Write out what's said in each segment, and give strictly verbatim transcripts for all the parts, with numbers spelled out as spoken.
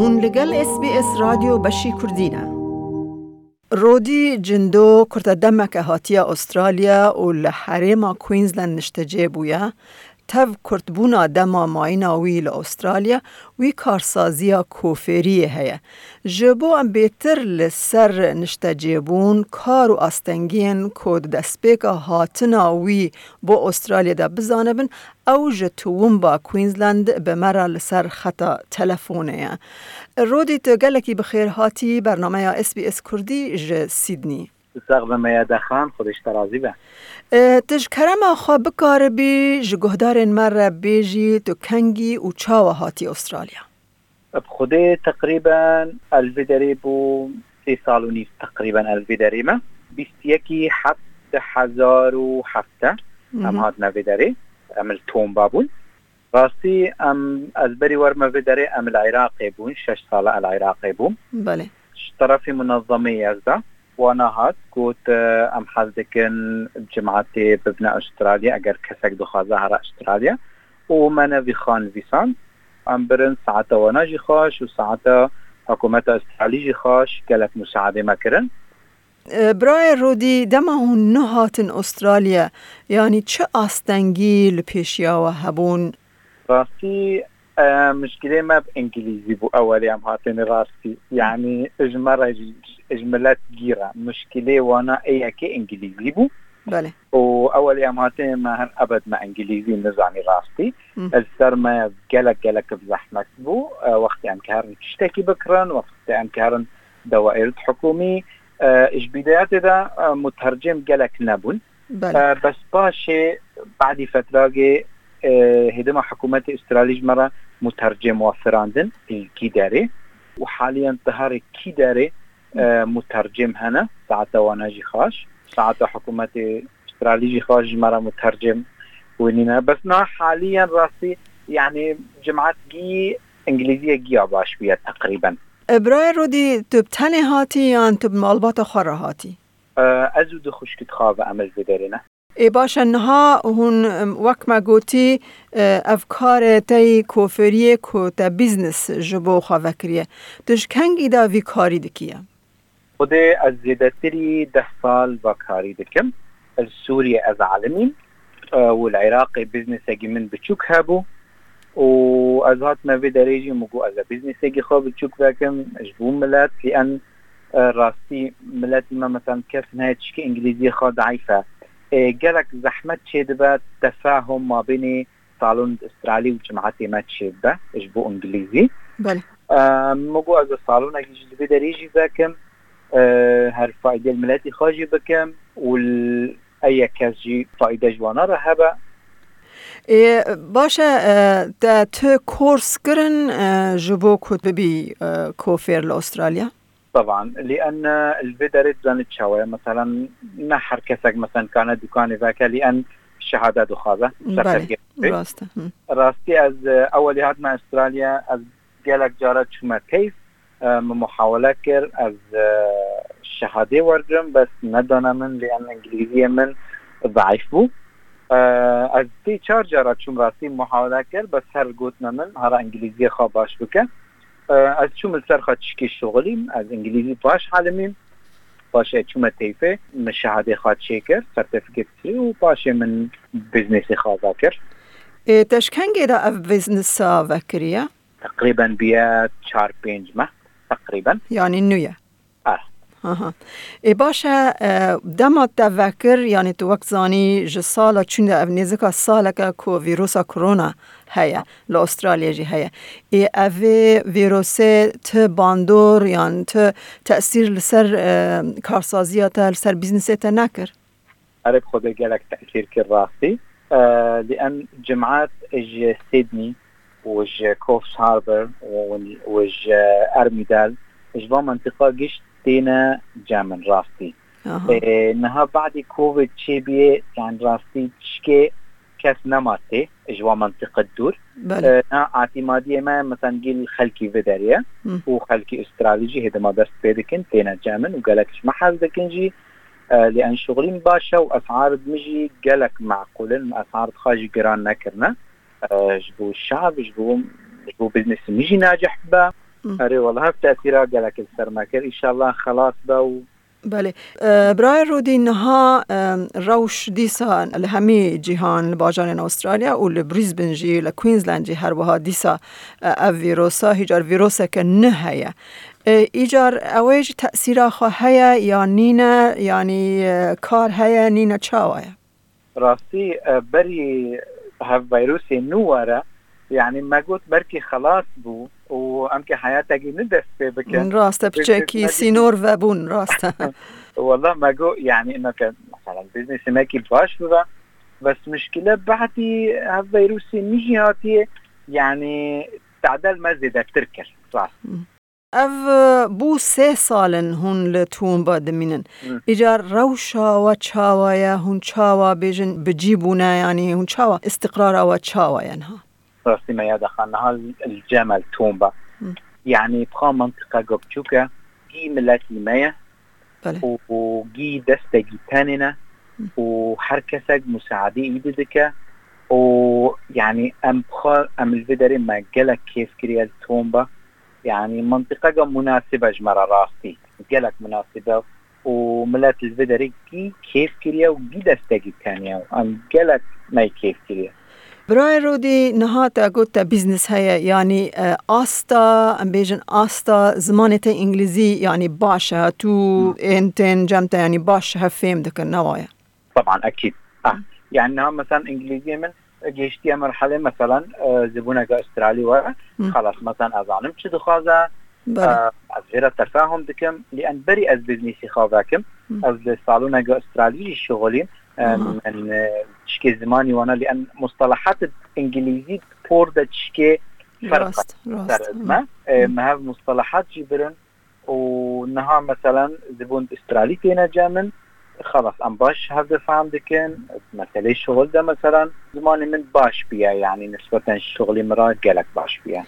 Hûn li gel S B S Radyo beşî Kurdî ne. Rodî Cindo kurte demeke hatiye Australya û li herêma Queensland niştecê bûye. Tev kurtbûna dema mayîna wî li Australya, wî karsaziya kofêriyê heye. Ji bo em bêtir li ser niştecêbûn, kar û astengiyên ku di destpêka hatina wî bo Australya de bizanibin, ew ji Toowoomba Queensland bi me re li ser xeta telefonê ye. Rodî, tu gelekî bi xêr hatî bernameya S B S Kurdî ji Sydney. Sax be Meyada Xan, Xwedê ji te razî be. E, tu ji kerema xwe bikaribî ji guhdarên me re bêjî, tu kengî û çawa hatî Australya? Bi Xwedê teqrîben ez li vê derê bû sê sal û nîv teqrîben ez li vê derê me. Bîst yekî heft du hezar û heft em hatine vê derê. Em li Tomba bûn. Rastî em, ez berî werime vê derê em li Iraqê bûn, şeş sal e li Iraqê bûm. Belê. Ji terefê munezemê ye ez de. Wana hat, got, e, em hez dikin cemaetê bibine Australya, eger kesek dixwaze here Australya. Û me ne vî xan vîsand. Em birin saeta wana jî xweş û saeta hikûmeta Australî jî xweş, gelek musaedê me kirin. E, birayê Rodî, dema hûn nehatin Australya, yanî çi astengî li pêşiya we hebûn? Rastî, e, mişkilê me bi îngilîzî bû, ewelê em hatinê rastî. Yanî ji me re jî, ji milet gî re. Mişkilê wana ê yekê îngilîzî bû. Belê. Û ewelê em hatinê me her ebed me îngilîzî nizanî rastî. Hı. Li ser me gelek, gelek bi zehmet bû. E, wextê em karin tiştekî bikirin, wextê em karin dewaîr hikûmî, e, ji bîdayetê de, e, mutercim gelek nebûn. Belê. E, bes paşê badî fetragê, e, hêdima hikûmetê Australî ji me re mutercim wefirandin li kî derê û haliyen ti herê kî derê, e, mutercim hene. Saeta wana jî xaş. Saeta hikûmetê Australî jî xaş ji me re mutercim winîne. Bes niha haliyen rastî, yanî cemaet gî îngilîziyê giya baş bûye teqrîben. E, birayê Rodî, tu bi tenê hatî yan tu bi malbata xwe re hatî? E, ez û du xwişkit xwe ve em li vê derê ne. Ê baş e, niha hûn, em, wek me gotî, e, ev karê te yî kofêriyê ku te bîznes ji bo xwe vekiriye. Tu ji kengî de vî karî dikiye? Xwedê ez zêdetirî deh sal va karî dikim. Li Sûriyê ez alim im, e, û li Iraqê bîznesekî min biçûk hebû û ez hatime vê derê jî min got ez ê bîznesekî xwe biçûk vekim ji bo milet, lî en, e, rastî miletî me, mesela kes nayê tişkê îngilîziyê xwe daîf e. E, gelek zehmet çêdibe tefahum mabênê salon Australî û cemaetê me çêbibe ji bo îngilîzî. Belê. E, min got ez ê salonekî jî li vê derê jî vekim. E, her faydê li miletî xwe jî bikim û li ey yek kes jî fayde ji wana re hebe. Ê, baş e, e, te tu kors kirin, e, ji bo ku tu bibî, e, kofêr li Australya? Teban, lî en, e, li vê derê dizanî çawa ye. Meselen, ne her kesek, meselen, kane dukanê veke, lî en şehade dixwaze. Belê, sertifikatê. Rast e. Hı. Rastî ez, e, ewelî hatime Australya, ez gelek cara çûme teyf, e, min muhawele kir, ez, e, şehadê wergirim, bes nedane min, lê em îngilîziyê min zeîf bû. E, ez sê çar cara çûm rastî muhawele kir, bes her gotine min, hara îngilîziyê xwe baş bike. E, ez çûm li ser xwe tişkî şixulîm, ez îngilîzî baş alimîm. Paşê çûme teyfê, min şehadê xwe çêkir, sertifiket kirî û paşê min biznesê xwe vekir. Ê, te ji kengê de ev biznesa vekiriye? Teqrîben bûye çar pênc meh, teqrîben. Yanî nû ye? Aha. Ê, baş e, e, dema te vekir, yanî tu wek zanî ji sala çûn de ev nêzika saleke ku vîrusa korona heye, li Australya jî heye. Ê, evê vîrusê ti bandor yan ti tesîr li ser, e, karsaziya te, li ser bîznesê te nekir? Erê, bi Xwedê gelek tesîr kir rastî. E, lî em cemaet ji Sydney û ji Coffs Harbour û, û ji Armidale, ji van mentiqa giş têne cem min rastî. Aha. E, niha badî Covid çêbûye, yani rastî tişkê kes nema tê ji wan mentiqe dûr. Belê. E, na etimadiyê me, mesela, gel xelkî vê derê ye Hı. û xelkî Australî jî hêdima dest pê dikin, têne cem min û gelek ji me hez dikin jî. E, lê en şixulîm baş e û esar min jî gelek meqûl in, esar xwe jî giran nekirine. E, ji bo şev, ji bo, ji bo biznesê min jî nacih bibe. Erê, wela hev tesîra gelek li ser me kir. Înşallah xelas be û Belê. E, Birayê Rodî, niha, e, rewş dîsa li hemî cîhan, li bajarên Australya û li Brisbane jî, li Queensland jî her wiha dîsa, e, ev vîrosa, hîcar vîroseke nû heye. E, îcar ew ê jî tesîra xwe heye ya nîne, yanî, e, kar heye, nîne, çawa ye? Rastî, e, berî hev vîrusê nû were, yanî me got belkî xelas bû û em ke heyatekî nû dest pê bikin. Rast e, piçekî sînor vebûn, rast e. Wela me got, yanî, ino ke, mesela, biznêsê me kî baş bibe, bes muşkile behdî hev vîrusê nû jî hatiye, yanî, tadel me zêdetir kir, rast. Ev, e, bû sê sal in hûn li Toowoomba dimînin. Îcar rewşa we çawa ye? Hûn çawa bêjin bi cî bûne? Yanî hûn çawa, îstiqrara we çawa ye niha? Rastî me ya dixan niha li cem el Toowoomba. Yanî bi xwe mintiqeke biçûk e, gî miletî me ye. Belê. Û, û gî destekî tenê ne. Û her kesek musaadê îdî dike. Û, yanî, em bi xwe, em li vê derê me gelek kêf kiriye li Toowoomba. Yanî, mintiqeke munasib e ji me re rastî. Gelek munasib e û milet li vê derê gî kêf kiriye û gî destekî teniye û em gelek me kêf kiriye. Birayê Rodî, niha te got te bîznes heye, yanî, e, asta, em bêjin asta zimanê te îngilîzî, yanî baş e, tu ên tên cem te, yanî baş hev fêm dikin, ne wa ye? Taban, ekîd. Ah, yanî niha mesela îngilîziyê min gihiştiye merhelê, mesela, e, zibûneke Australî were. Xelas, mesela, ez zanim çi dixwaze, Belê. e, ez jê re tefahum dikim. Lê en berî ez biznîsî xwe vekim, ez li saloneke Australî jî şixulîm. E, Aha. min, e, tişkê zimanî wana, lê en mustalahat îngilîzî por de tişkê ferq Rast, rast. ser ez me. E, me hev mustalahat jî birin. û niha, meselen, zibûn Australî têne cem min, xelas, em baş hev difam dikin, meselê şixul de, meselen, zimanê min baş bûye, yanî nisbeten şixulê min re gelek baş bûye.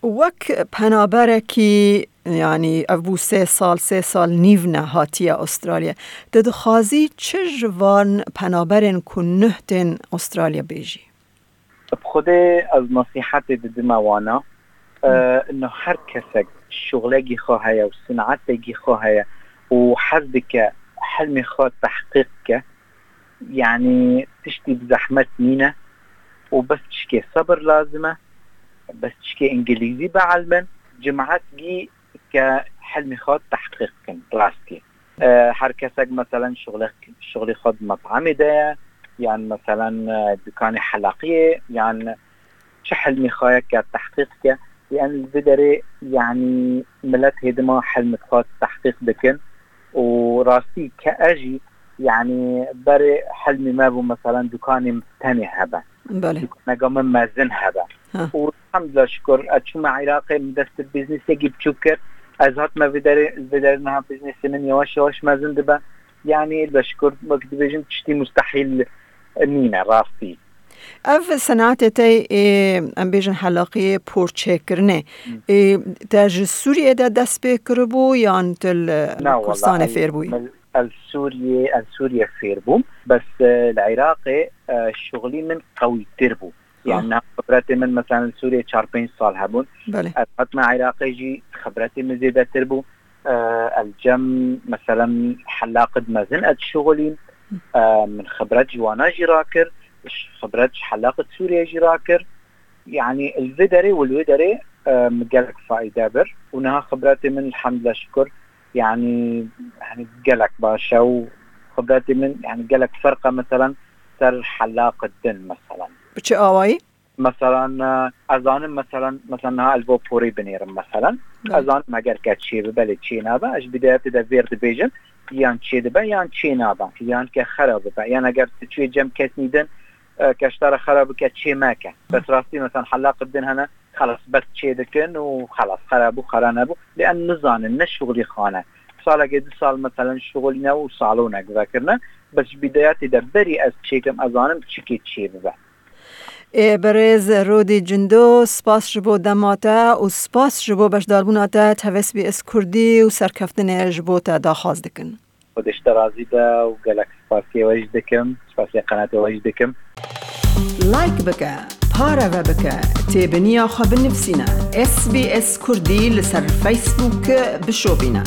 Wek penaberekî, yanî ev bû sê sal, sê sal nîv ne hatiye Australya. Tu dixwazî çi ji van penaberên ku nuh tên Australya bêjî? Bi Xwedê ez nesîhetê didime wana. E, ino her kesek şuxlekî xwe heye û sinatekî xwe heye û hez dike hilmê xwe tehqîq ke, yanî tiştî bi zehmet nîne û bes tişkê sebir lazim e, bes tişkê îngilîzî bielmin, cemaet gî ke hilmê xwe tehqîq bikin, rastî. E, her kesek, meselen, şixulek-, şixulê xwe di met'amê de ye, yan, meselen, e, dukanê helaqiyê, yan çi hilmê xwe ye ke tehqîq ke, yan li vê derê, yanî, milet hêdima hilmê xwe tehqîq dikin û rastî ke ez jî, yanî, berê hilmê me bû, meselen, dukanê min tenê hebe. Belê. Dukaneke min mezin hebe. Ha. Û elhamdulillah şukur, ez çûme Iraqê, min dest bi biznesekî biçûk kir. Ez hatime vê derê, vê derê niha biznesê min yavaş yavaş mezin dibe. Yanî, elhamdulillah şukur, wek dibêjin, tiştî mustehîl nîne, rastî. Ev senatê te, ê, em bêjin helaqiyê porçêkirinê, Hmm. ê, te ji Sûriyê de dest pê kiribû yan tu li Na, Kurdistanê wala, fêr bûyî? Ez, ez Sûriyê, ez Sûriyê fêr bûm. Bes, e, li Iraqê, e, şixulî min qewîtir bû. Yanî, Ah. niha xibretê min, meselen, li Sûriyê çar pênc sal hebûn. Belê. Ez hatime Iraqê jî xibretê min zêdetir bû. E, ez cem, meselen, helaqid mezin ez şixulîm. E, min xibret ji wana jî rakir, xibret ji helaqid Sûriyê jî rakir. Yanî, li vê derê û li wê derê, e, min gelek faîde bir. Û niha xibretê min, elhamdulillah şukur, yanî, yanî gelek baş e û xibretê min, yanî, gelek ferq e, meselen, ser helaqê din, meselen. Bi çi awayî? Meselen, e, ez zanim, meselen, meselen, niha ez bo porê binêrim, meselen. Belê. Ez zanim, eger ke çê bibe, lê çê nabe, ez ji bidayetê de vêr dibêjim, yan çê dibe, yan çê nabe, yan ke xera bibe, yan eger tu çê cem kesnî din, e, ke ji te re xera bike, çê meke. Bes rastî, meselen, helaqê din hene, xelas, bes çê dikin û xelas, xera bû, xera nebû. Lê em nizanin, ne şixulî xane. Salekê du sal, meselen, şixulîne û salonek vekirine. Bes ji bidayetê de berî ez çêkim, ez zanim çikê çê bibe. Ê, birêz Rodî Cindo, spas ji bo dema te û spas ji bo beşdarbûna te. Tevesbî ez Kurdî û serkeftinê ji bo te daxwaz dikin. Xwedê ji te razî be û gelek spasiyê we jî dikim, spasiyê qenatê we jî dikim. Like bike, Pareve bike, têbiniya xwe binivîsîne, S B S Kurdî li ser Facebook bişopîne.